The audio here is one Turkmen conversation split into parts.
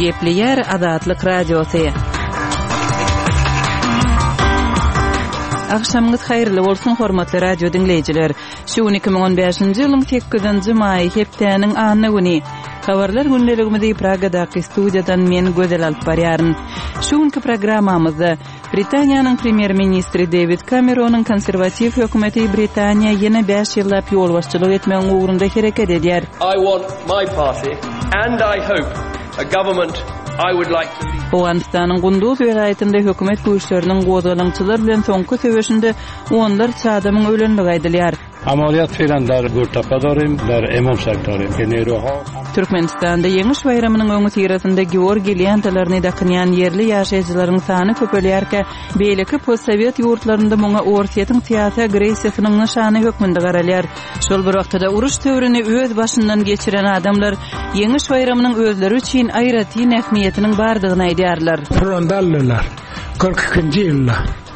Gepleýär Azatlyk Radiosy. Agşamyňyz haýyrly bolsun, hormatly radio diňleýjiler. Şu gün 2015-nji ýylyň 8-nji maýy, hepdäniň anna güni. Habarlar gündeligimizi Pragadaky studiýadan men Gözel alyp barýaryn. Şu günki programmamyzda Britaniýanyň premýer-ministri Dewid Kameronyň konserwatiw hökümeti Britaniýa ýene bäş ýyllap ýolbaşçylyk etmegiň ugrunda hereket edýär. I want my party and I hope a government I would like to lead. Owganystanyň Gunduz welaýatynda hökümet güýçleriniň gozgalaňçylar bilen soňky söweşinde onlarça adamyň ölendigi aýdylýar. Amaliyat feýlan dar Gürtapa dorym, dar Emam Sahib dorym. Ke neýroha. Türkmenistanda Ýeňiş baýramynyň öňüsyrasynda georgiý lentalaryny dakynýan ýerli ýaşaýjylaryň sany köpelýärkä, beýleki postsowet ýurtlarynda muňa Orsýetiň syýasy agressiýasynyň nyşany hökmünde garalýar. Şol bir wagtda-da uruş döwrüni öz başyndan geçiren adamlar Ýeňiş baýramynyň özleri üçin aýratyn ähmiýetiniň bardygyny aýdýarlar. Fronda aldylar. 42-nji ýylda.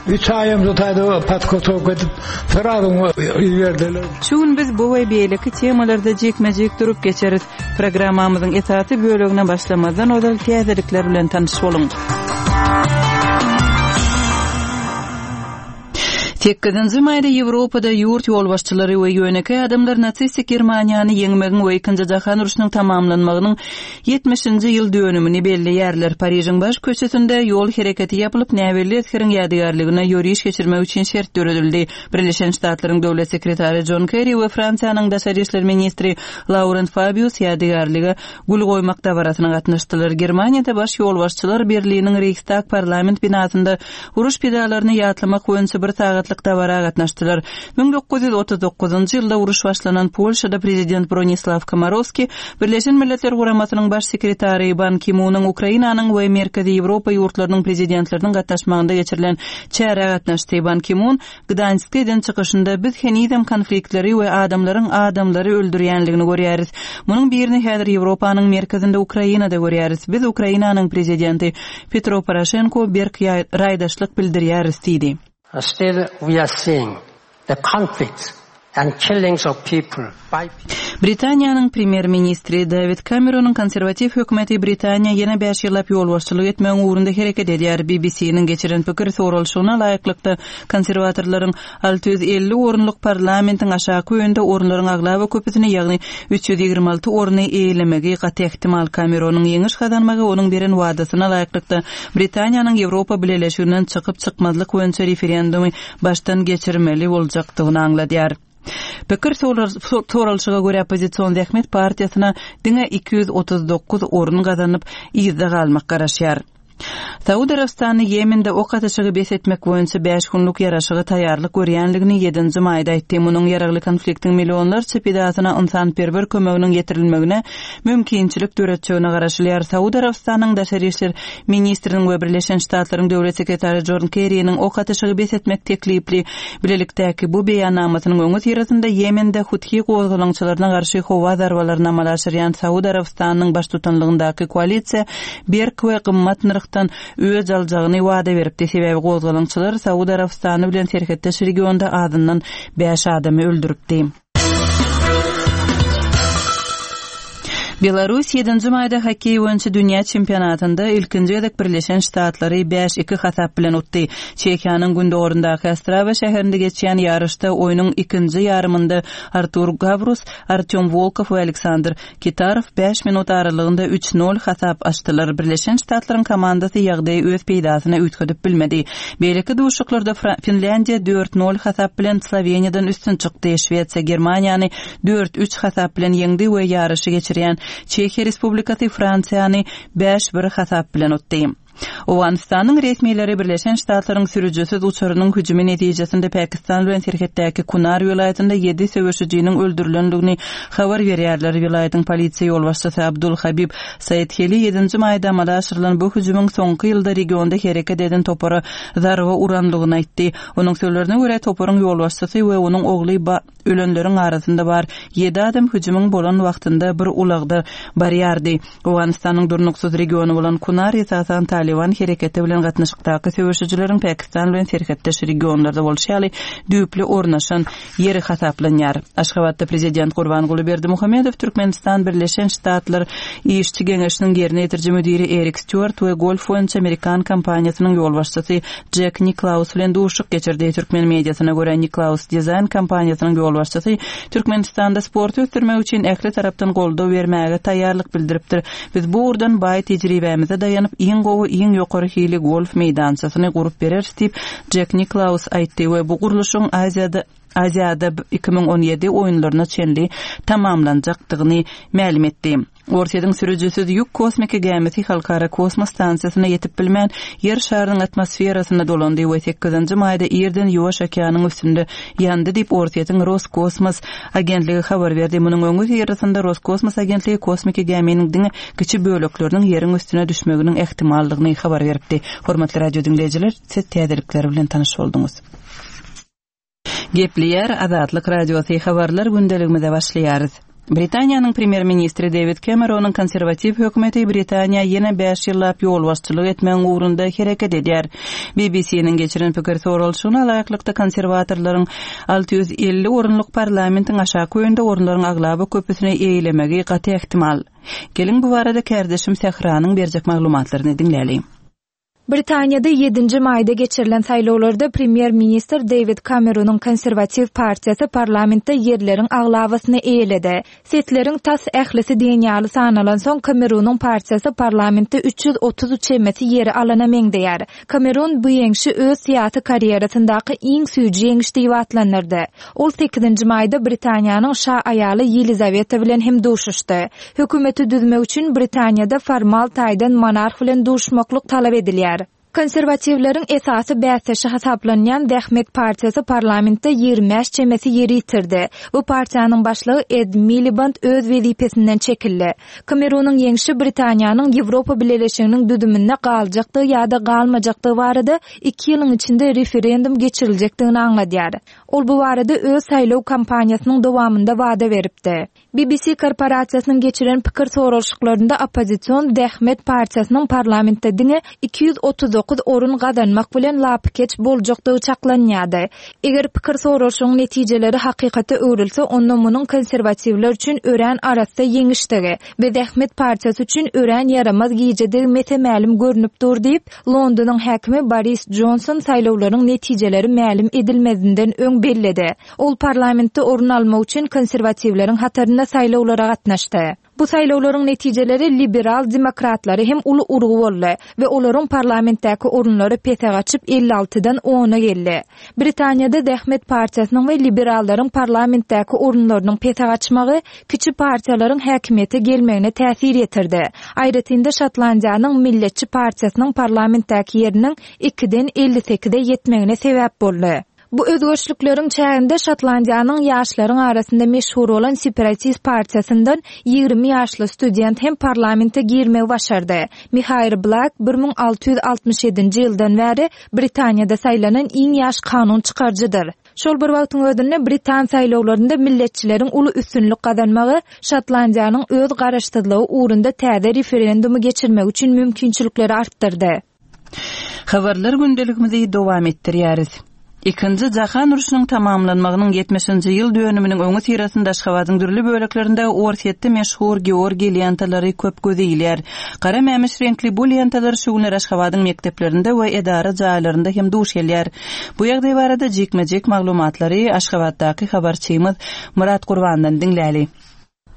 Üç aýam şu taýda podgotowka edip, srazu iberdiler. Şu gün biz bu we beýleki temalarda jikme-jik durup geçeris. Programmamyzyň esasy bölegine başlamazdan ozal täzelikler bilen tanyş boluň. Sekizinji maýda Ýewropada ýurt ýolbaşçylary we ýönekeý adamlar nasistik Germaniýany ýeňmegiň we Ikinji jahan urşunyň tamamlanmagynyň Ýetmişinji ýyl dönümini belleýärler. Parižiň baş köçesinde ýol hereketi ýapylyp, näbelli esgeriň ýadygärligine ýöriş geçirmek üçin şert döredildi. Birleşen Ştatlaryň döwlet sekretary Jon Kerri we Fransiýanyň daşary işler ministri Laurent Fabius ýadygärlige gül goýmak dabarasyna gatnaşdylar. Germaniýada baş ýolbaşçylar Berliniň Reýhstag parlament binasynda uruş pidalaryny ýatlamak boýunça bir sagatlyk dabara gatnaşdylar. 1939-njy ýylda uruş başlanan Polşada prezident Bronislaw Komorowski Birleşen Milletler Guramasynyň Baş sekretary Ban Ki-munyň Ukrainanyň we Merkezi Ýewropa ýurtlarynyň prezidentleriniň gatnaşmagynda geçirilen çärä gatnaşdy. Ban Ki-mun Gdanskde eden çykyşynda, Biz henizem konfliktleri we adamlaryň adamlary öldürýänligini görýäris. Munuň birini häzir Ýewropanyň merkezinde Ukrainada görýäris. Biz Ukrainanyň prezidenti Petro Poroşenko berk raýdaşlyk bildirýäris diýdi. Still we are seeing the conflicts and killings of people by people. Britaniýanyň premýer-ministri Dawid Kameronyň konserwatiw hökümeti Britaniýa ýene bäş ýyllap ýolbaşçylyk etmegiň ugrunda hereket edýär. BBC-niň geçiren pikir soralyşygyna laýyklykda, konserwatorlaryň 650 orunlyk parlamentiň aşaky öýünde orunlaryň aglaba köpüsini, ýagny 326 orny eýelemegi gaty ähtimal. Kameronyň ýeňiş gazanmagy onuň beren wadasyna laýyklykda, Britaniýanyň Ýewropa Bileleşiginden çykyp-çykmazlyk boýunça referendumy başdan geçirmeli boljakdygyny aňladýar. Pikir soralyşyga görä oppozision Zähmet partiýasyna diňe 239 orun gazanyp, yzda galmak garaşýar. Saud Arabystany Ýemende ok atyşygy bes etmek boýunça bäş günlük ýaraşyga taýýarlyk görýändigini ýedinji maýda aýtdy. Munuň ýaragly konfliktiň millionlarça pidasyna ynsanperwer kömeginiň ýetirilmegine mümkinçilik döretjegine garaşylýar. Saud Arabystanynyň daşary işler ministriniň we Birleşen Ştatlaryň döwlet sekretary Jon Kerriniň ok atyşygy bes etmek teklipli bilelikdäki bu beýannamasynyň öňüsyrasynda Ýemende Huthi gozgalaňçylaryna garşy howa zarbalaryny amala aşyrýan Saud Arabystanynyň baştutanlygyndaky koalisiýa berk we gymmat nyrhdan öç aljagyny wada beripdi, sebäbi gozgalaňçylar Saud Arabystany bilen serhetdeş regionda azyndan bäş adamy öldüripdi. Belarus ýedinji maýda hokkeý boýunça dünýä çempionatynda ilkinji gezek Birleşen Ştatlary bäş-iki hasap bilen utdy. Çehiýanyň gündogaryndaky Ostrawa şäherinde geçýän ýaryşda oýnuň ikinji ýarymynda Artur Gawrus, Artýom Wolkow we Aleksandr Kitarow bäş minut aralygynda üç nol hasap açdylar. Birleşen Ştatlaryň komandasy ýagdaýy öz peýdasyna üýtgedip bilmedi. Beýleki duşuşyklarda Finlýandiýa dört nol hasap bilen Sloweniýadan üstün çykdy. Şwesiýa Germaniýany dört üç hasap bilen ýeňdi we ýaryşy geçirýän Çehiýa Respublikasy Fransiýany bäş bir hasap bilen utdy. Owganystanyň resmileri Birleşen Ştatlaryň sürüjisiz uçarynyň hüjümi netijesinde Pakistan bilen serhetdäki Kunar welaýatynda ýedi söweşijiniň öldürilendigini habar berýärler. Welaýatyň polisiýa ýolbaşçysy Abdul Habib Saidheli ýedinji maýda amala aşyrylan bu hüjümiň soňky ýylda regionda hereket eden topara zarba urandygyny aýtdy. Onuň sözlerine görä, toparyň ýolbaşçysy we onuň ogly Ölenleriň arasynda bar ýedi adam hüjümiň bolan wagtynda bir ulagda barýardy. Owganystanyň durnuksyz regiony bolan Kunar esasan Talyban. Talyban hereketi bilen gatnaşykdaky söweşijileriň Pakistan bilen serhetdeş regionlarda bolşy ýaly düýpli ornaşan ýeri hasaplanýar. Aşgabatda prezident Gurbanguly Berdimuhamedow Türkmenistan Birleşen Ştatlar Işçi geňeşiniň ýerine ýetiriji müdiri Erik Stýuart we golf boýunça amerikan kompaniýasynyň ýolbaşçysy Jek Niklaus bilen duşuşyk geçirdi. Türkmen mediasyna görä, Niklaus dizaýn kompaniýasynyň ýolbaşçysy Türkmenistanda sporty ösdürmek üçin ähli tarapdan goldaw bermäge taýýarlyk bildiripdir. Biz bu ugurdan baý tejribämize daýanyp, iň gowy, iň ýokary hili golf meýdançasyny gurup bereris diýip, Jek Niklaus aýtdy we bu gurluşygyň Aziýada Aziada 2017 oýunlaryna çenli tamamlanjakdygyny mälim etdi. Orsýetiň sürüjisiz ýük kosmiki gämisi Halkara kosmos stansiýasyna ýetip bilmän, Ýer şarynyň atmosferasynda dolandy we sekizinji maýda irden Ýuwaş okeanyň üstünde ýandy diýip, Orsýetiň Roskosmos agentligi habar berdi. Munuň öňüsyrasynda Roskosmos agentligi kosmiki gäminiň diňe kiçi bölekleriniň Ýeriň üstüne düşmeginiň ähtimaldygyny habar beripdi. Hormatly radio diňleýjiler, siz täzelikler bilen tanyş bolduňyz. Gepleýär Azatlyk Radiosy habarlar gündeligimize başlaýarys. Britaniýanyň premýer-ministri Dewid Kemeronyň konserwatiw hökümeti Britaniýa ýene bäş ýyllap ýolbaşçylyk etmegiň ugrunda hereket edýär. BBC-niň geçiren pikir soralyşygyna laýyklykda konserwatorlaryň 650 orunlyk parlamentiň aşaky öýünde orunlaryň aglaba köpüsini eýelemegi gaty ähtimal. Geliň bu barada kärdeşim Sähranyň berjek maglumatlaryny diňläliň. Britaniýada ýedinji maýda geçirilen saýlawlarda premýer-ministr Deýwid Kameronyň Konserwatiw partiýasy parlamentde ýerleriň aglabasyny eýeledi. Sesleriň tas ählisi diýen ýaly sanalansoň, Kameronyň partiýasy parlamentde 330 çemesi ýeri alana meňzeýär. Kameron bu ýeňşi öz syýasy karýerasyndaky iň süýji ýeňiş diýip atlandyrdy. Ol sekizinji maýda Britaniýanyň şa aýaly Ýelizaweta bilen hem duşuşdy. Hökümeti düzmek üçin Britaniýada formal taýdan monarh bilen duşmaklyk talap edilýär. Konserwatiwleriň esasy bäsdeşi hasaplanýan Zähmet partiýasy parlamentde 25 çemesi ýeri ýitirdi. Bu partiýanyň başlygy Ed Miliband öz wezipesinden çekildi. Kamerunyň ýeňşi Britaniýanyň Ýewropa Bileleşiginiň düzüminde galjakdygy ýa-da galmajakdygy barada iki ýylyň içinde referendum geçiriljekdigini aňladýar. Ol bu barada öz saýlaw kampaniýasynyň dowamynda wada beripdi. BBC korporasiýasynyň geçiren pikir soralyşyklarynda oppozision Zähmet partiýasynyň parlamentde diňe 239 orun gazanmak bilen lapykeç boljakdygy çaklanýardy. Eger pikir soralyşygyň netijeleri hakykata öwrülse, onda munuň konserwatiwler üçin örän arassa ýeňişdigi we Zähmet partiýasy üçin örän ýaramaz gijedigi mese-mälim görnüp dur diýip, Londonyň häkimi Boris Jonson saýlawlaryň netijeleri mälim edilmezinden öň belledi. Ol parlamentde orun almak üçin konserwatiwleriň hatarynda saýlawlara gatnaşdy. Bu saýlawlaryň netijeleri liberal demokratlara hem uly urgy boldy we olaryň parlamentdäki orunlary pese gaçyp 56-dan ona geldi. Britaniýada Zähmet partiýasynyň we liberallaryň parlamentdäki orunlarynyň pese gaçmagy kiçi partiýalaryň häkimiýete gelmegine täsir ýetirdi. Aýratyn-da Şotlandiýanyň Milletçi partiýasynyň parlamentdäki ýeriniň ikiden 58-e ýetmegine sebäp boldy. Bu özgerişlikleriň çäginde Şotlandiýanyň ýaşlaryň arasynda meşhur bolan separatist partiýasyndan 20 ýaşly student hem parlamente girmegi başardy. Mihair Blak 1667-nji ýyldan bäri Britaniýada saýlanan iň ýaş kanun çykaryjydyr. Şol bir wagtyň özünde britan saýlawlarynda milletçileriň uly üstünlik gazanmagy Şotlandiýanyň öz garaşsyzlygy ugrunda täze referendumy geçirmegi üçin mümkinçilikleri artdyrdy. Habarlar gündeligimizi dowam etdirýäris. Ikinji jahan urşunyň tamamlanmagynyň ýetmişinji ýyl dönüminiň öňüsyrasynda Aşgabadyň dürli böleklerinde Orsýetde meşhur Georgiý lentalary köp göze ilýär. Gara mämiş reňkli bu lentalar şu günler Aşgabadyň mekdeplerinde we edara jaýlarynda hem duş gelýär. Bu ýagdaý barada jikme-jik maglumatlary Aşgabatdaky habarçymyz Myrat Gurbandan diňläli.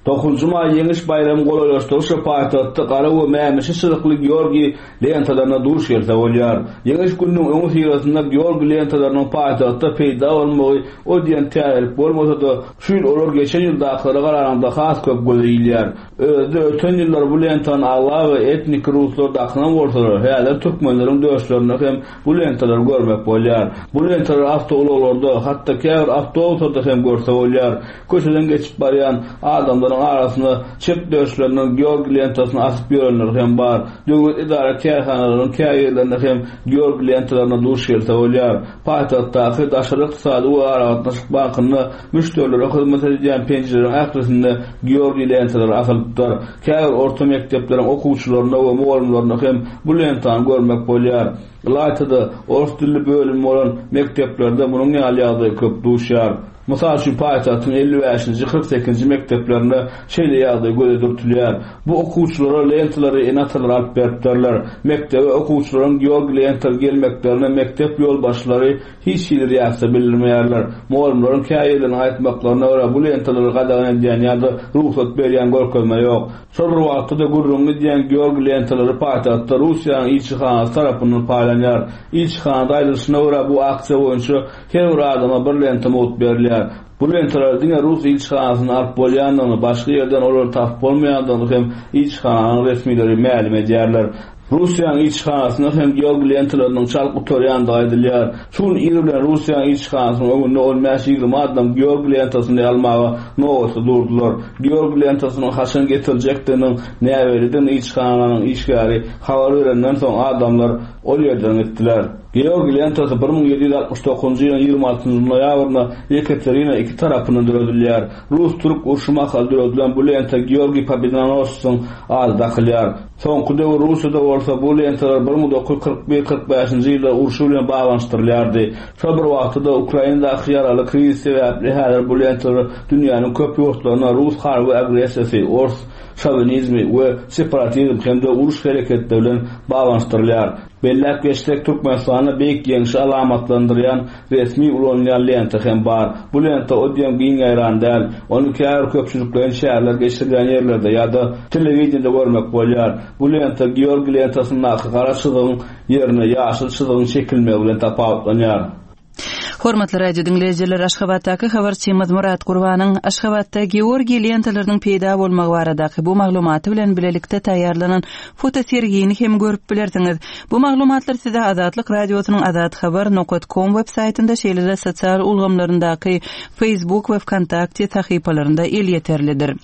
Dokuzynjy maý Ýeňiş baýramy golaýlaşdygyça paýtagtda gara we mämişi çyzykly Georgiý lentalaryna duş gelse bolýar. Ýeňiş gününiň öňüsyrasynda Georgiý lentalarynyň paýtagtda peýda bolmagy o diýen täzelik bolmasa-da, şu ýyl olar geçen ýyldakylara garanyňda has köp göze ilýär. Özi-de öten ýyllar bu lentany aglaba etniki ruslar dakynan bolsalar, häzir türkmenleriň döşlerinde hem bu lentalary görmek bolýar. Bu lentalary awtoulaglarda, hatda käbir awtobuslarda hem görse bolýar. Köçeden geçip barýan adamlaryň. Adamlaryň arasynda çep döşlerinden Georgiý lentasyny asyp ýörenleri hem bar. Döwlet edara-kärhanalarynyň käbirlerinde hem Georgiý lentalaryna duş gelse bolýar. Paýtagtdaky Daşary ykdysady we aragatnaşyk bankynda müşderilere hyzmat edilýän penjireleriň ählisinde Georgiý lentalary asylypdyr. Käbir orta mekdepleriň okuwçylarynda we mugallymlarynda hem bu lentany görmek bolýar. Ylaýta-da, ors dilli bölümi bolan mekdeplerde munuň ýaly ýagdaý köp duşýar. Mysal üçin, paýtagtyň 55-nji, 48-nji mekdeplerinde şeýle ýagdaý göze dürtülýär. Bu okuwçylara lentalary ene-atalary alyp beripdirler. Mekdebe okuwçylaryň georgiý lentaly gelmeklerine mekdep ýolbaşçylary hiç hili reaksiýa bildirmeýärler. Mugallymlaryň käbirleriniň aýtmaklaryna görä, bu lentalary gadagan edýän ýa-da rugsat berýän görkezme ýok. Şol bir wagtda-da gürrüňi gidýän georgiý lentalary paýtagtda Russiýanyň ilçihanasy tarapyndan paýlanýar. Ilçihanada aýdylyşyna görä, bu aksiýa boýunça her bir adama bir lenta mugt berilýär. Bu lentalary diňe rus ilçihanasyndan alyp bolýandygyny, başga ýerden olary tapyp bolmaýandygyny hem ilçihananyň resmileri mälim edýärler. Russiýanyň ilçihanasynda hem georgiý lentalarynyň çalt gutarýandygy aýdylýar. Şu gün ir bilen Russiýanyň ilçihanasynyň öňünde on bäş-ýigrimi adam georgiý lentasyny almaga nobatda durdular. Georgiý lentasynyň haçan getiriljekdiginiň näbellidigini ilçihananyň işgäri habar berenden soň adamlar ol ýerden gitdiler. Georgiý lentasy 1769-njy ýylyň 26-njy noýabrynda Ýekaterina II tarapyndan döredilýär. Rus-türk urşy mahaly döredilen bu lenta Georgiý Pobedonossyň ady dakylýar. Soňky döwür Russiýada bolsa bu lentalar 1941, 45-nji ýyllar urşy bilen baglanyşdyrylýardy. Şol bir wagtda-da Ukrainadaky ýaraly krizis sebäpli häzir bu lentalar dünýäniň köp ýurtlarynda rus harby agressiýasy, ors şowinizmi we separatizm hem-de uruş hereketleri bilen baglanyşdyrylýar. Belläp geçsek, Türkmenistanda Beýik Ýeňşi alamatlandyrýan resmi ulanylýan lenta hem bar. Bu lenta o diýen giň ýaýran däl. Ony käbir köpçülikleýin çäreler geçirilýän ýerlerde ýa-da telewideniýede görmek bolýar. Bu lenta Georgiý lentasyndaky gara çyzygyň ýerine ýaşyl çyzygyň çekilmegi bilen tapawutlanýar. Hormatly radio diňleýjiler, Aşgabatdaky habarçymyz Myrat Gurbanyň Aşgabatda Georgiý lentalarynyň peýda bolmagy baradaky bu maglumaty bilen bilelikde taýýarlanan fotosergini hem görüp bilersiňiz. Bu maglumatlar size Azatlyk Radiosynyň azathabar nokat kom web saýtynda, şeýle-de sosial ulgamlaryndaky Facebook we Wkontakte sahypalarynda elýeterlidir.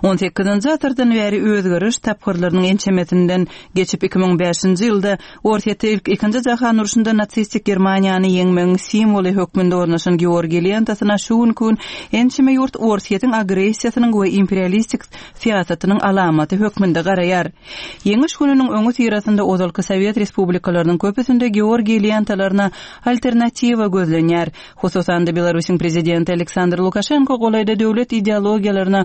On sekizinji asyrdan bäri özgeriş tapgyrlarynyň ençemesinden geçip, 2005-nji ýylda Orsýetde ilk Ikinji jahan urşunda nasistik Germaniýany ýeňmegiň simwoly hökmünde ornaşan Georgiý lentasyna şu günki gün ençeme ýurt Orsýetiň agressiýasynyň we imperialistik syýasatynyň alamaty hökmünde garaýar. Ýeňiş gününiň öňüsyrasynda ozalky sowet respublikalarynyň köpüsinde Georgiý lentalaryna alternatiwa gözlenýär. Hususan-da, Belarusyň prezidenti Aleksandr Lukaşenko golaýda döwlet ideologiýalaryna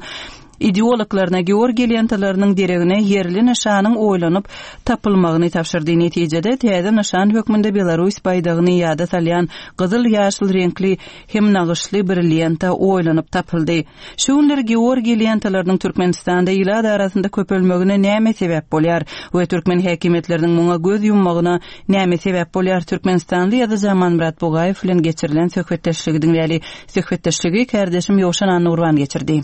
ideologlaryna Georgiý lentalarynyň deregine ýerli nyşanyň oýlanyp tapylmagyny tabşyrdy. Netijede, täze nyşan hökmünde Belarus baýdagyny ýada salýan gyzyl-ýaşyl reňkli hem nagyşly bir lenta oýlanyp tapyldy. Şu günler Georgiý lentalarynyň Türkmenistanda ilat arasynda köpelmegine näme sebäp bolýar we türkmen häkimiýetleriniň muňa göz ýummagyna näme sebäp bolýar? Türkmenistanly ýazyjy Amanmyrat Bugaýew bilen geçirilen söhbetdeşligi diňläli. Söhbetdeşligi kärdeşim Ýowşan Annagurban geçirdi.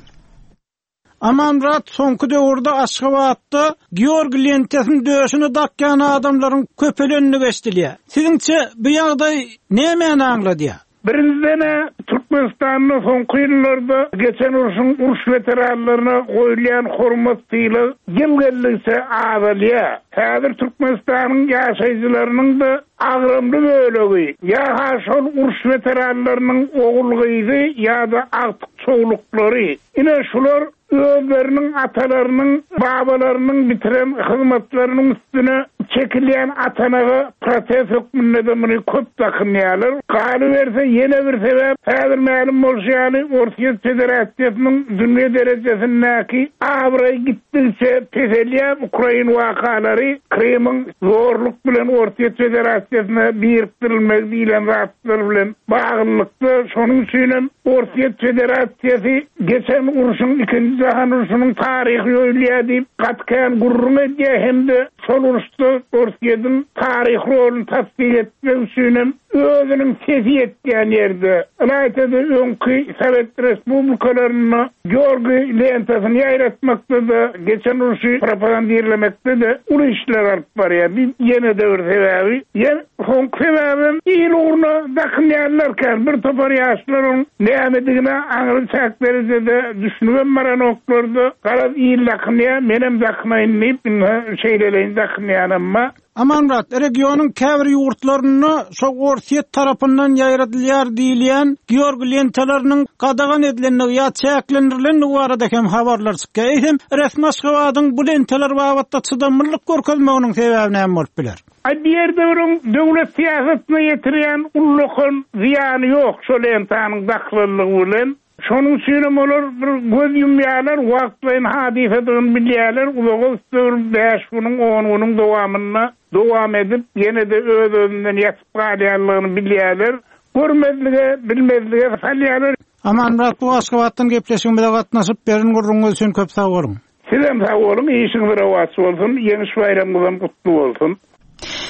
Amanmyrat soňky döwürde Aşgabatda Georgiý lentasyny döşüne dakýan adamlaryň köpelendigi eşidilýär. Siziňçe bu ýagdaý nämäni aňladýar? Birinjiden-ä, Türkmenistanda soňky ýyllarda geçen urşuň uruş weteranlaryna goýulýan hormat-sylag ýyl geldigiçe azalýar. Häzir Türkmenistanyň ýaşaýjylarynyň-da agramly bölegi ýa-ha şol uruş weteranlarynyň ogul-gyzy ýa-da agtyk-çowluklary. Ine, şular özleriniň atalarynyň, babalarynyň bitiren hyzmatlarynyň üstüne çekilýän atanaga protest hökmünde-de muny köp dakynýarlar. Galyberse, ýene bir sebäp, häzir mälim bolşy ýaly, Orsýet Federasiýasynyň dünýä derejesindäki abraýy gitdigiçe peselýär, ukrain wakalary, Krymyň zorluk bilen Orsýet Federasiýasyna birikdirilmegi diýlen zatlar bilen baglylykda, şonuň üçinem Orsýet Federasiýasy Geçen urşuň, Ikinji jahan urşunyň taryhy ýoýulýar diýip, gaty kän gürrüň edýär hem-de şol uruşda Orsýetiň taryhy roluny tassyk etmek üçinem özüniň sesi ýetýän ýerde, ylaýta-da öňki sowet respublikalarynda Georgiý lentasyny ýaýratmakda-da, geçen urşy propagandirlemekde-de uly işler alyp barýar. Bi ýene-de bir sebäbi. Ýene soňky sebäbem il ugruna dakynýanlar kän. Bir topar ýaşlar oň nämedigine aňry çäk derejede düşünibem baranoklar-da, garaz il dakynýar, menem dakynaýyn diýip, indi şeýleleýin dakynýanam bar. Amanmyrat, regionyň käbir ýurtlarynda şo Orsýet tarapyndan ýaýradylýar diýilýän georg lentalarynyň gadagan edilendigi ýa çäklendirilendigi barada hem habarlar çykýar. Eýsem, resmi Aşgabadyň bu lentalar babatda çydamlylyk görkezmeginiň sebäbi näme bolup biler? Aý, bu ýerde bir oň döwlet syýasatyna ýetirýän ullakan zyýany ýok şo lentanyň dakylanlygy bilen. Şonuň üçinem olar bir göz ýumýarlar, wagtlaýyn hadysadygyny bilýärler, uzaga gitse bir bäş günüň, on günüň dowamynda dowam edip, ýene-de öz-özünden ýatyp galýanlygyny bilýärler. Görmezlige, bilmezlige salýarlar. Amanmyrat bu Aşgabatdan gepleşigimize gatnaşyp, beren gürrüňiňiz üçin köp sag boluň. Sizem sag boluň, işiňiz rowaç bolsun, Ýeňiş baýramyňyzam gutly bolsun!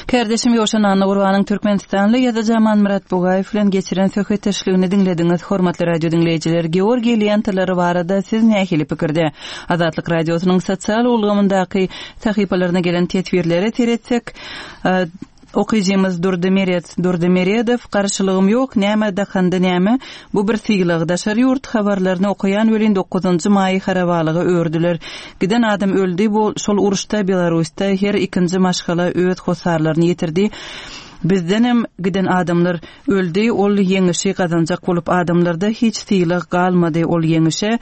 Kärdeşim Ýowşan Annagurbanyň türkmenistanly ýazyjy Amanmyrat Bugaýew bilen geçiren söhbetdeşligini diňlediňiz. Hormatly radio diňleýjiler, Georgiý lentalary barada siz nähili pikirde? Azatlyk Radiosynyň sosial ulgamyndaky sahypalaryna gelen teswirlere seretsek, Okyjymyz Durdy Meret Durdy Meredow, Garşylygym ýok, näme dakanda näme, bu bir sylag. Daşary ýurt habarlaryny okaýan welin dokuzynjy maýy harabalyga öwürdiler. Giden adam öldi bu şol uruşda Belarusda her ikinji maşgala öz hossarlaryny ýitirdi. Bizdenem giden adamlar öldi ol ýeňişi gazanjak bolup adamlarda hiç sylag galmady ol ýeňişe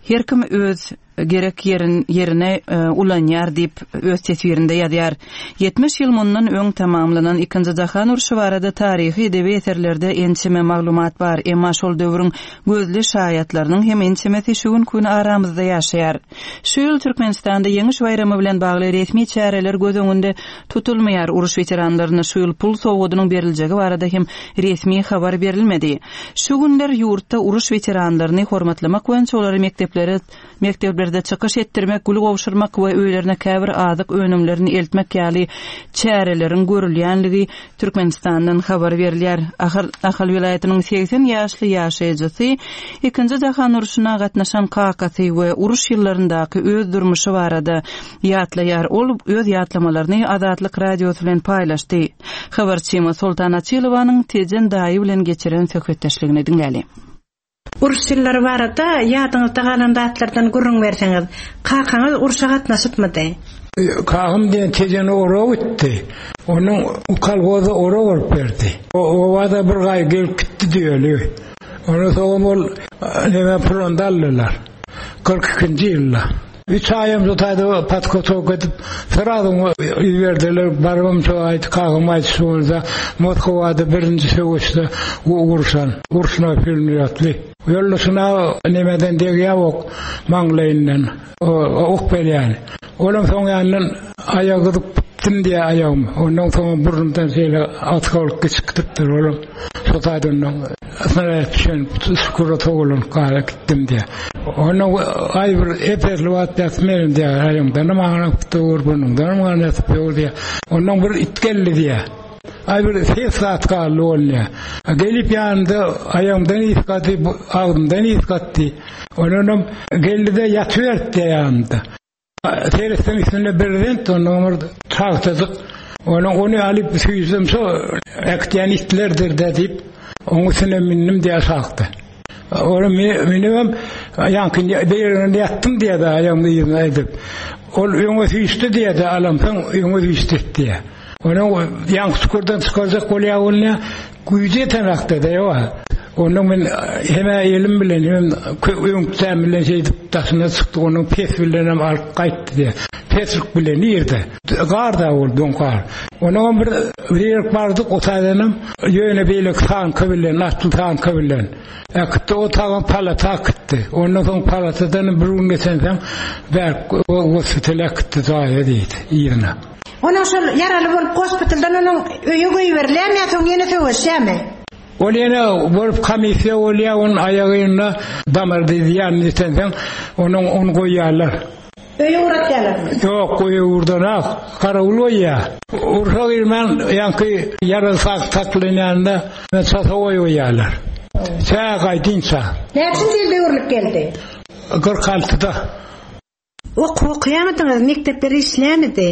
her kim öz gerek ýerin ýerine ulanýar diýip, öz teswirinde ýazýar. 70 ýyl mundan öň tamamlanan Ikinji jahan urşy barada taryhy edebi eserlerde ençeme maglumat bar, emma şol döwrüň gözli şaýatlarynyň hem ençemesi şu günki gün aramyzda ýaşaýar. Şu ýyl Türkmenistanda Ýeňiş baýramy bilen bagly resmi çäreler göz öňünde tutulmaýar, uruş weteranlaryna şu ýyl pul sowgadynyň beriljegi barada hem resmi habar berilmedi. Şu günler ýurtda uruş weteranlaryny hormatlamak boýunça olary mekdeplere mekdeplerde çykyş etdirmek, gül gowşurmak we öýlerine käbir azyk önümlerini eltmek ýaly çäreleriň görülýänligi Türkmenistandan habar berilýär. Ahal Ahal welaýatynyň 80 ýaşly ýaşaýjysy Ikinji jahan urşuna gatnaşan kakasy we uruş ýyllaryndaky öz durmuşy barada ýatlaýar. Ol öz ýatlamalaryny Azatlyk Radiosy bilen paýlaşdy. Habarçymyz Soltan Açylowanyň Tejen daýy bilen geçiren söhbetdeşligini diňläli. Uruş ýyllary barada ýadyňyzda galan zatlardan gürrüň berseňiz. Kakaňyz urşa gatnaşypmydy? Kakam diýen Tejene orak gitdi. Onuň kolhoza orak orup berdi. Obada bir gaý gelip gitdi diýeli. Ondan soňam ol neme pronda aldylar. 42-nji ýylda. Üç aýam şu taýda podgotovka edip, srazu iberdiler. Barybam şo aýt, kakam aýdyşy bolsa, Moskwada birinji söweşde urşan, urşuna pulmýotly. Ýoldaşyna nemeden degýär ok maňlaýyndan, ok berýän. Olam soň ýanyndan aýagy gyzyp gitdim diýýär aýagym. Ondan soň burnumdan şeýle oskol geçip gidipdir. Olam şo taýdan snarýad düşen çukura towlanyp galyp gitdim diýýär. Ondan aý bir ep-esli wagt ýatyp menem diýýär, aýaňdanam aňryk dur, burnuňdanam gan ýatyp dur diýýär. Ondan bir it geldi diýýär. Aý bir ses zat galdy ol diýýär. Gelip ýanynda aýagymdan ysgady, agzymdan ysgatdy. Ondanam geldi-de ýatyberdi diýýär ýanymda. Seretseň üstünde brezent ondan bir tagtajyk. Onuň ony alyp süýsem şo äkitýän itlerdir-dä diýip, oň üstüne mündim diýýär aşakda. Ony münübem ýaňky beýleginde ýatdym diýýär-de aýagymy yzyna edip. Ol öňe süýşdi diýýär-de alamsoň öňe süýşdi diýýär. Onuň ýaňky çukurdan çykarjak bolýar ol diýýär. Güýji ýetenakda-da ýok. Ondan men hem-ä elim bilen, hemem öňkjäm bilen şeýdip daşyna çykdyk, onuň pes bilenem alyp gaýtdy diýýär. Peslik bilen nirde? Gar-da ol, doň gar. Onnoňam bir ýerik bardyk, o taýdanam ýöne beýleki tanka bilen, atly tanka bilen äkitdi. O tagam palata äkitdi. Ondan soň palatadanam bir gün geçensoň bärk gospitala äkitdi jaýa diýdi, yzyna. Onuň şol ýaraly bolup gospitaldan onuň öýe goýberilýärmi ýa soň ýene söweşýärmi? Ol ýene bolup komissiýa bolýar, onuň aýagynda damar diýýän ýetensoň, onuň ony goýýarlar. Öýe ugratýarlarmy? Ýok, öýe ugradanok. Garawul goýýar. Urşa girmän ýaňky ýarag saklanýanda çasowoý goýýarlar. Tä gaýdynça. Näçinji ýylda öwrülip geldi? 46-da. Okuw okaýamydyňyz, mekdepler işleýärmidi?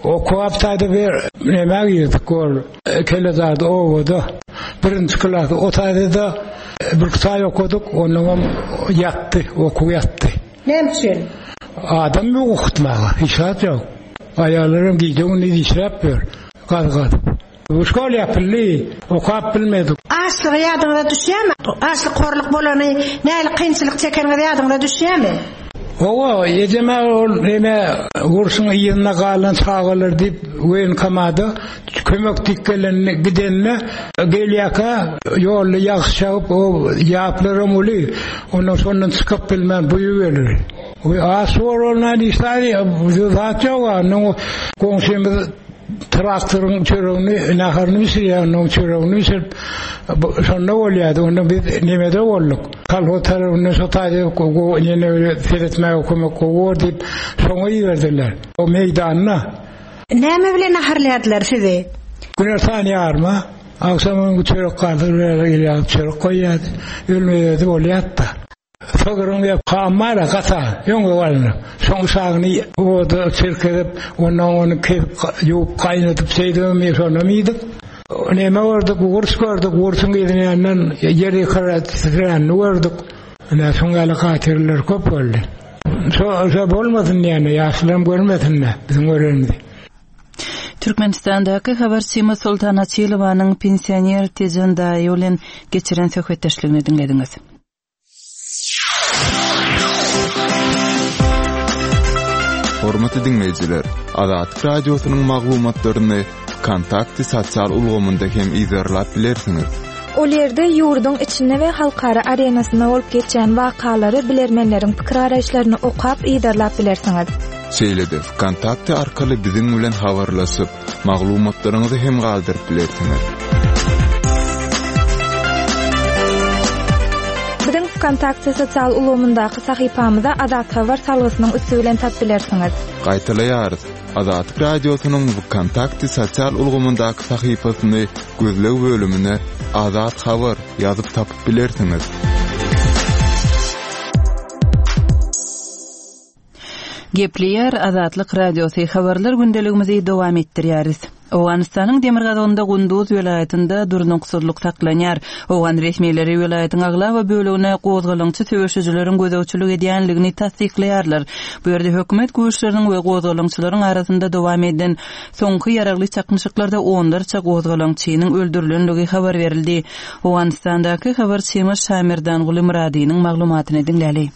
Okuw aptada bir nämä girdik ol Kelezarda obada birinji klas o taýda-da bir saý okadyk onnoňam ýatdy okuw ýatdy. Näme üçin? Adam ýok okutmaga hiç zat ýok. Aýallaram gije gündiz işläp ýör gaz gazyp. Bu şkol ýapyldy, okap bilmedik. Açlygy ýadyňyza düşýärmi? Açlyk horluk bolany, nähili kynçylyk çekeniňiz ýadyňyza düşýärmi? Hawa, ejem-ä ol neme urşuň yzynda galan çagalar diýip woýenkomada kömek diýip gelende gidende gelýärkä ýolda ýagyş ýagyp o ýaplaram uly ondan şondan çykyp bilmän buýup gelir. Aç bor bolman hiç zat ýok-a. Goňşymyz Traktoryň çöregini, naharyny bişirýär, onuň çöregini bişirip, şonda bolýardy. Onda biz nemede bolduk. Kolhoz tarapyndan şo taýda ýene seretmäge kömek gowy bor diýip, şoňa iberdiler. O meýdanda. Näme bilen naharlaýardylar sizi? Günortan ýaryma, agşam öňki çörek galsa, bir çörek goýýardy. Ölmez-ödi bolýardy-da. Sygryň we hammara gata öňe alnyp, soň uşagyny oda çirkizip, ondan ony kesip, ýuwup, gaýnadyp, şeýdibem şonam iýdik. Neme gördük, gurç gördük, gurçuň yzyndan ýer ýykyp gördük. Ine, şoň ýaly hatyrlar köp boldy. Şo, şo bolmasyn diýende, ýaşlaram görmesin-de biziň görenimizi. Türkmenistandaky habarçymyz Soltan Açylowanyň pensioner Tejen daýy bilen geçiren söhbetdeşligini diňlediňiz. Hormatly diňleýjiler, Azatlyk Radiosynyň maglumatlaryny Wkontakte sosial ulgamynda hem yzarlap bilersiňiz. Ol ýerde ýurduň içinde we halkara arenasynda bolup geçýän wakalary, bilermenleriň pikir-garaýyşlaryny okap, yzarlap bilersiňiz. Şeýle-de Wkontakte arkaly biziň bilen habarlaşyp, maglumatlaryňyzy hem galdyryp bilersiňiz. Biziň Wkontakte sosial ulgamyndaky sahypamyza Azat Habar salgysynyň üsti bilen tap bilersiňiz. Gaýtalaýarys, Azatlyk Radiosynyň Wkontakte sosial ulgamyndaky sahypasyny gözleg bölümine Azat Habar ýazyp tapyp bilersiňiz. Gepleýär Azatlyk Radiosy, Habarlar gündeligimizi dowam etdirýäris. Owganystanyň demirgazygynda Gunduz welaýatynda durnuksyzlyk saklanýar. Owgan resmileri welaýatyň aglaba bölegine gozgalaňçy söweşijileriň gözegçilik edýänligini tassyklaýarlar. Bu ýerde hökümet güýçleriniň we gozgalaňçylaryň arasynda dowam eden soňky ýaragly çaknyşyklarda onlarça gozgalaňçynyň öldürilenligi habar berildi. Owganystandaky habarçymyz Şamerdanguly Myradynyň maglumatyny diňläli.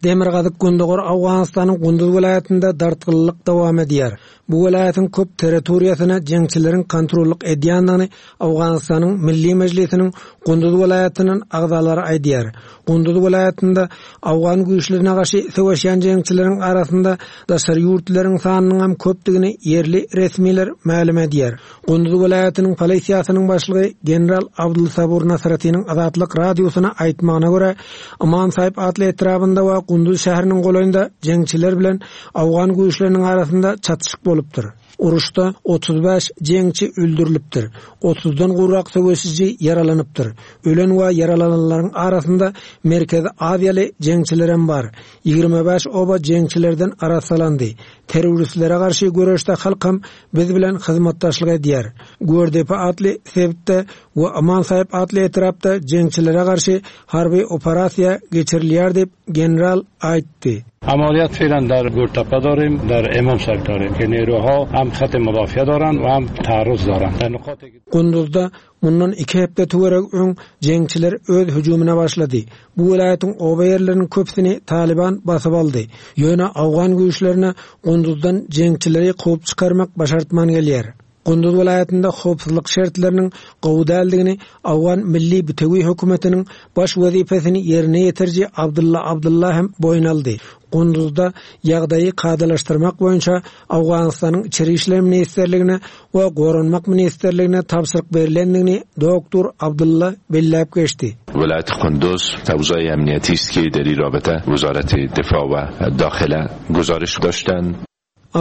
Demirgazyk-gündogar Owganystanyň Gunduz welaýatynda dartgynlylyk dowam edýär. Bu welaýatyň köp territoriýasyna jeňçileriň kontrollyk edýändigini Owganystanyň Milli Mejlisiniň Gunduz welaýatyndan agzalary aýdýar. Gunduz welaýatynda owgan güýçlerine garşy söweşýän jeňçileriň arasynda daşary ýurtlylaryň sanynyň hem köpdügini ýerli resmiler mälim edýär. Gunduz welaýatynyň polisiýasynyň başlygy general Abdulsabur Nasratiniň Azatlyk Radiosyna aýtmagyna görä, Ymam Saýyp atly etrabynda we Gunduz şäheriniň golaýynda jeňçiler bilen owgan güýçleriniň arasynda çatyşyk bolupdyr. Uruşda 35 jeňçi öldürilipdir, otuzdan gowrak söweşiji ýaralanypdyr. Ölen we ýaralananlaryň arasynda Merkezi Aziýaly jeňçilerem bar. 25 oba jeňçilerden arassalandy. Terroristlere garşy göreşde halkam biz bilen hyzmatdaşlyk edýär. Gördepe atly sebitde we Aman Saýyp atly etrapda jeňçilere garşy harby operasiýa geçirilýär diýip, general aýtdy. Amaliyat fe'lan dar Gurtapa dorim, dar Emam Saýyp dorim ke neruha ham hat-i mudafiye doran we ham taarruz doran. Dar nuqat-i Gunduzda Mundan iki hepde töweregi öň jeňçiler öz hüjümine başlady. Bu welaýatyň oba ýerleriniň köpüsini Talyban basyp aldy. Ýöne owgan güýçlerine Gunduzdan jeňçileri kowup çykarmak başartman gelýär. Gunduz welaýatynda howpsuzlyk şertleriniň gowy däldigini Owgan Milli bitewi hökümetiniň baş wezipesini ýerine ýetiriji Abdylla Abdylla hem boýun aldy. Gunduzda ýagdaýy kadalaşdyrmak boýunça Owganystanyň Içeri işler ministrligine we Goranmak ministrligine tabşyryk berlendigini doktor Abdylla belläp geçdi. ولایت قندوز اوضاع امنیتی است که در این رابطه وزارت دفاع و داخله گزارش داشتند.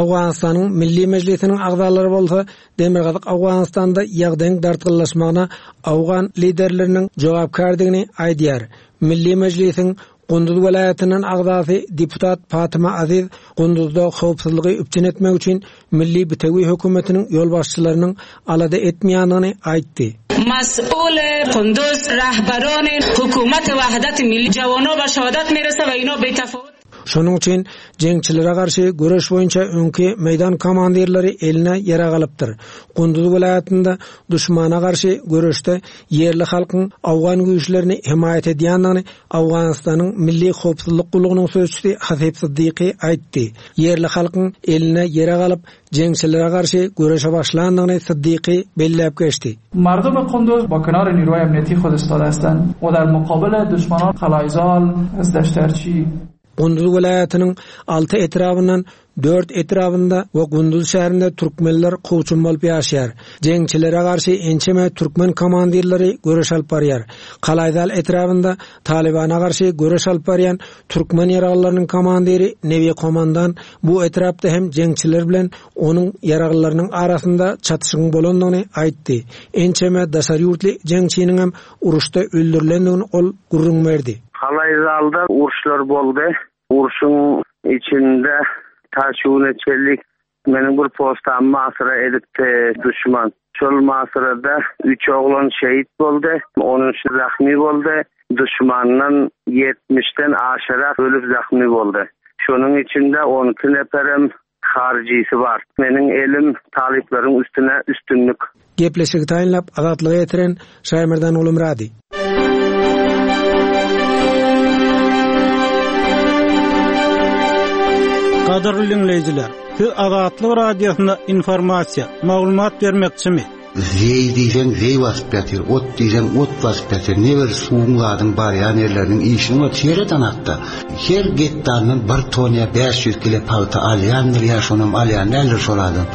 Owganystanyň Milli Mejlisiniň agzalary bolsa Demirgazyk Owganystanda ýagdaýyň dartgynlaşmagyna owgan liderleriniň jogapkärdigini aýdýar. Milli Mejlisiň Gunduz welaýatyndan agzasy deputat Fatima Aziz Gunduzda howpsuzlygy üpjün etmek üçin Milli bitewi hökümetiniň ýolbaşçylarynyň alada etmeýändigini aýtdy. مسئول قندوز رهبران حکومت وحدت ملی جوانا به شهادت میرسه و اینا بی تفاوت Şonuň üçin jeňçilere garşy göreş boýunça öňki meýdan komandirleri eline ýarag alypdyr. Gunduz welaýatynda duşmana garşy göreşde ýerli halkyň owgan güýçlerini hemaýat edýändigini Owganystanyň Milli howpsuzlyk gullugynyň sözçüsi Hasip Siddiqi aýtdy. Ýerli halkyň eline ýarag alyp, jeňçilere garşy göreşe başlandygyny Siddiqi belläp geçdi. مردم قندوز با کنار نیروهای امنیتی خود استاده هستند و در مقابل دشمنان قلایزال از دشترچی Gunduz welaýatynyň alty etrabyndan dört etrabynda we Gunduz şäherinde türkmenler kowçum bolup ýaşaýar. Jeňçilere garşy ençeme türkmen komandirleri göreş alyp barýar. Kalaýzal etrabynda Talybana garşy göreş alyp barýan türkmen ýaraglylarynyň komandiri Nebi komandan bu etrapda hem jeňçiler bilen onuň ýaraglylarynyň arasynda çatyşygyň bolandygyny aýtdy. Ençeme daşary ýurtly jeňçiniňem uruşda öldürilendigini ol gürrüň berdi. Kalaýzalda uruşlar boldy. Urşuň içinde ta şu güne çenli meniň bir postamy masyra edipdi duşman. Şol masyrada üç oglan şehit boldy, onunçy zahmy boldy. Duşmandan ýetmişden aşyrak ölüp zahmy boldy. Şonuň içinde on iki neperem Haryjysy bar. Meniň elim talyplaryň üstüne üstünlik. Gepleşigi taýynlap Azatlyga ýetiren Şaýmerdan Gulumyrady. Gadyrly diňleýjiler, siz Azatlyk Radiosyna informasiýa, maglumat bermekçimi? Zeý diýseň zeý basyp ýatyr, ot diýseň ot basyp ýatyr. Ne bir suwuň zadyň barýan ýerleriniň işini ot seret anakda. Her gektaryndan bir ton ýa 500 kile pagta alýandyr ýa şonam alýan däldir şol adam.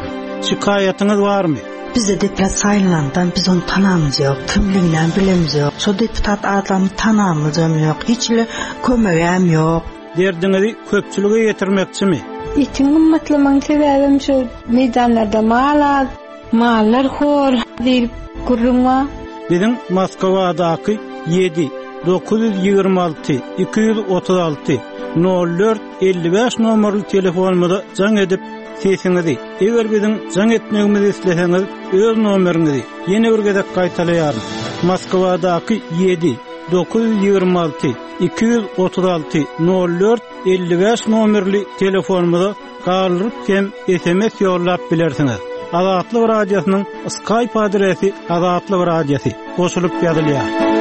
Şikaýatyňyz barmy? Bize deputat saýlanandan biz ony tanamyz ýok, kimliginem bilemiz ýok. Şo deputat adamy tanamyzam ýok, hiç hili kömegem ýok. Derdiňizi köpçülige ýetirmekçimi? Etiň gymmatlamagyň sebäbem şu meýdanlarda mal az. Mallar hor diýlip gürrüň bar. Biziň Moskwadaky ýedi, 926 236 04 55 nomerli telefonymyza jaň edip, sesiňizi, eger biziň jaň etmegimizi isleseňiz, öz nomeriňizi, ýene bir gezek gaýtalaýaryn, Moskwadaky ýedi, 926 236 04 55 nomerli telefonymyza galdyryp hem sms ýollap bilersiňiz. Azatlyk Radiosynyň Skype adresi Azatlyk Radiosy goşulyp ýazylýar.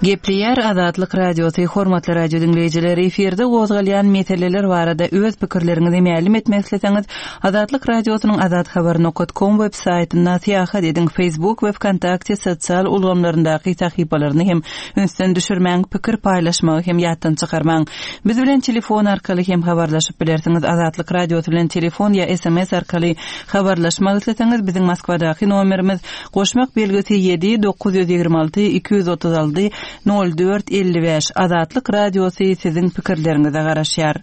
Gepleýär Azatlyk Radiosy, hormatly radio diňleýjiler, efirde gozgalýan meseleler barada öz pikirleriňizi mälim etmek isleseňiz, Azatlyk Radiosynyň azathabar nokat kom web saýtynda syýahat ediň, Facebook we Wkontakte sosial ulgamlaryndaky sahypalaryny hem ünsden düşürmäň, pikir paýlaşmagy hem ýatdan çykarmaň. Biz bilen telefon arkaly hem habarlaşyp bilersiňiz. Azatlyk Radiosy bilen telefon ýa sms arkaly habarlaşmak isleseňiz, biziň Moskwadaky nomerimiz, goşmak belgisi ýedi, 926 236 04 55. Azatlyk Radiosy siziň pikirleriňize garaşýar.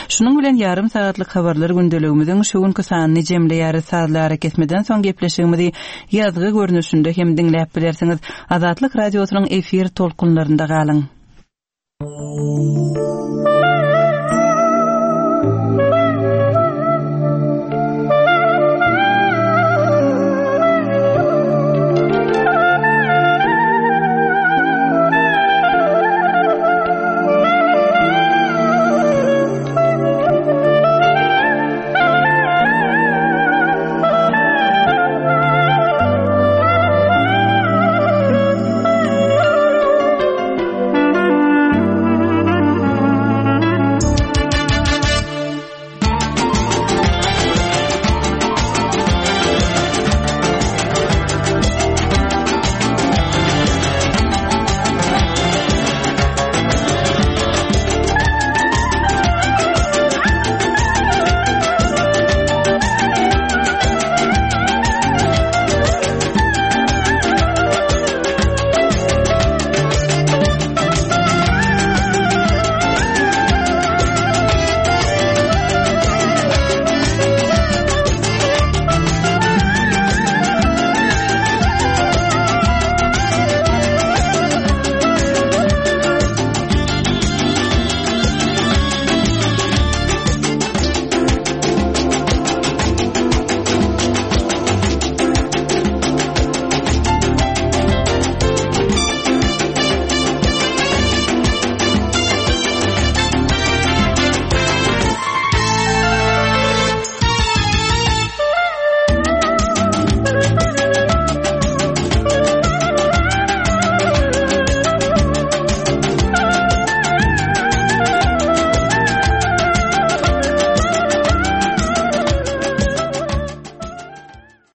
Şunuň bilen ýarym sagatlyk habarlar gündeligimiziň şu günki sanyny jemleýäris. Sazly arakesmeden soň gepleşigimizi ýazgy görnüşinde hem diňläp bilersiňiz. Azatlyk Radiosynyň efir tolkunlarynda galyň.